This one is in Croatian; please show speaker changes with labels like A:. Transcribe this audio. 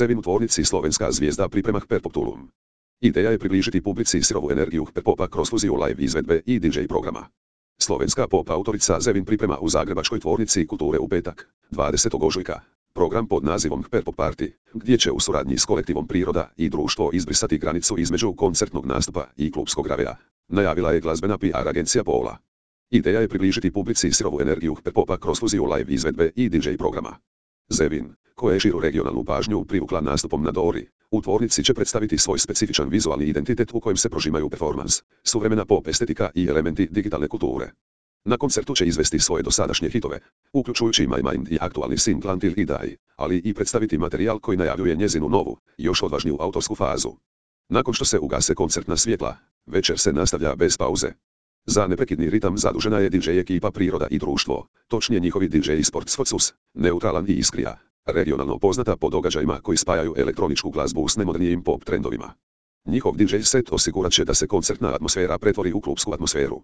A: Zevin u tvornici Slovenska zvijezda priprema Hyperpop Tulum. Ideja je približiti publici sirovu energiju Hyperpopa kroz fuziju live izvedbe i DJ programa. Slovenska pop autorica Zevin priprema u zagrebačkoj tvornici kulture u petak, 20. ožujka, program pod nazivom Hyperpop Party, gdje će u suradnji s kolektivom Priroda i društvo izbrisati granicu između koncertnog nastupa i klubskog ravea, najavila je glazbena PR agencija Pola. Ideja je približiti publici sirovu energiju Hyperpopa kroz fuziju live izvedbe i DJ programa. Zevin, koja je širu regionalnu pažnju privukla nastupom na Dori, u tvornici će predstaviti svoj specifičan vizualni identitet u kojem se prožimaju performans, suvremena pop estetika i elementi digitalne kulture. Na koncertu će izvesti svoje dosadašnje hitove, uključujući My Mind i aktualni singl Until I Die, ali i predstaviti materijal koji najavljuje njezinu novu, još odvažniju autorsku fazu. Nakon što se ugase koncertna svjetla, večer se nastavlja bez pauze. Za neprekidni ritam zadužena je DJ ekipa Priroda i društvo, točnije njihovi DJ Sports Focus, neutralan i iskrija, regionalno poznata po događajima koji spajaju elektroničku glazbu s najmodernijim pop trendovima. Njihov DJ set osigurat će da se koncertna atmosfera pretvori u klubsku atmosferu.